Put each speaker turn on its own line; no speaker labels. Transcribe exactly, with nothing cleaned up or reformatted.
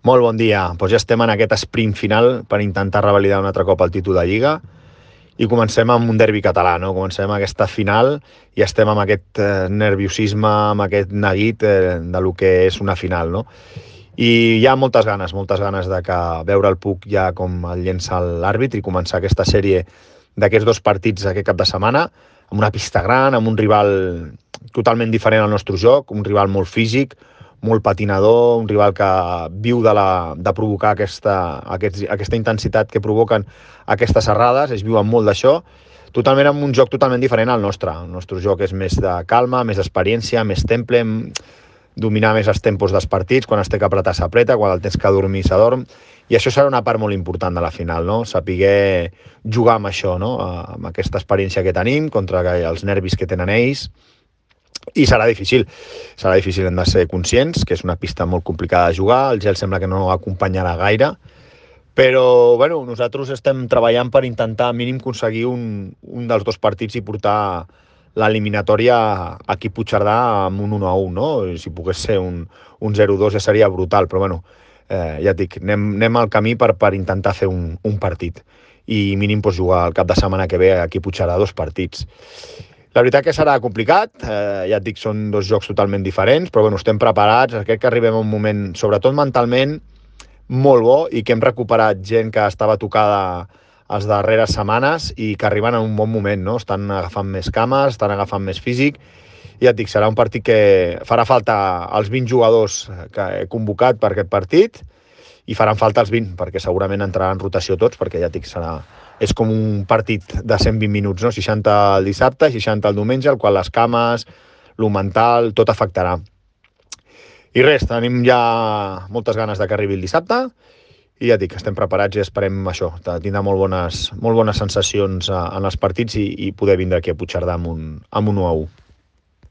Molt bon dia. Doncs ja estem en aquest sprint final per intentar revalidar un altre cop el títol de Lliga i comencem amb un derbi català, no? Comencem aquesta final i estem amb aquest eh, nerviosisme, amb aquest neguit eh, de lo que és una final, no? I hi ha moltes ganes, moltes ganes de que veure el Puig ja com el llença l'àrbitre i començar aquesta sèrie d'aquests dos partits aquest cap de setmana, amb una pista gran, amb un rival totalment diferent al nostre joc, un rival molt físic, molt patinador, un rival que viu de, la, de provocar aquesta, aquest, aquesta intensitat que provoquen aquestes errades, es viuen molt d'això, totalment amb un joc totalment diferent al nostre. El nostre joc és més de calma, més d'experiència, més temple, dominar més els tempos dels partits, quan es té que apretar s'apreta, quan el tens que dormir s'adorm, i això serà una part molt important de la final, no? Saber jugar amb això, no? Amb aquesta experiència que tenim, contra els nervis que tenen ells, i serà difícil, serà difícil, hem de ser conscients, que és una pista molt complicada de jugar, el gel sembla que no acompanyarà gaire, però bueno, nosaltres estem treballant per intentar mínim aconseguir un, un dels dos partits i portar l'eliminatòria aquí a Puigcerdà amb un u a u, no? Si pogués ser un, un zero dos ja seria brutal, però bueno, eh, ja et dic, anem, anem al camí per, per intentar fer un, un partit i mínim pues, jugar el cap de setmana que ve aquí a Puigcerdà dos partits. La veritat que serà complicat, eh, ja et dic, són dos jocs totalment diferents, però bueno, estem preparats, crec que arribem a un moment, sobretot mentalment, molt bo i que hem recuperat gent que estava tocada les darreres setmanes i que arriben en un bon moment, no? Estan agafant més cames, estan agafant més físic, i ja et dic, serà un partit que farà falta els vint jugadors que he convocat per aquest partit i faran falta els vint, perquè segurament entraran en rotació tots, perquè ja et dic, serà... és com un partit de cent vint minuts, no? seixanta el dissabte, seixanta el diumenge, el qual les cames, lo mental, tot afectarà. I res, tenim ja moltes ganes de que arribi el dissabte i ja dic, estem preparats i esperem això, tindrà molt bones, molt bones sensacions en els partits i, i poder vindre aquí a Puigcerdà amb un, amb un u a u.